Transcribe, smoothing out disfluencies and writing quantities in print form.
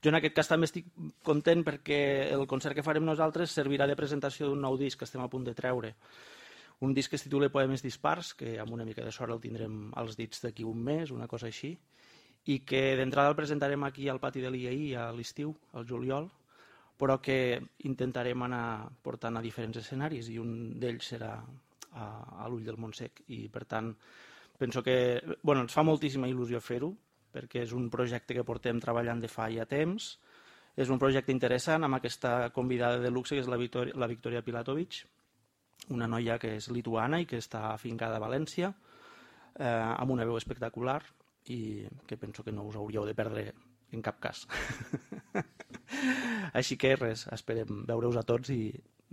Jo en aquest cas també estic content perquè el concert que farem nosaltres servirà de presentació d'un nou disc que estem a punt de treure. Un disc que es titula Poemes dispars, que amb una mica de sort el tindrem als dits d'aquí un mes, una cosa així, i que d'entrada el presentarem aquí al pati de l'IAI a l'estiu, al juliol, però que intentarem anar portant a diferents escenaris i un d'ells serà a l'Ull del Montsec. I per tant penso que ens fa moltíssima il·lusió fer-ho, perquè és un projecte que portem treballant de fa ja temps. És un projecte interessant amb aquesta convidada de luxe que és la Victoria Pilatovic, una noia que és lituana i que està afincada a València, amb una veu espectacular i que penso que no us hauríeu de perdre en cap cas. Així que res, esperem veure-us a tots i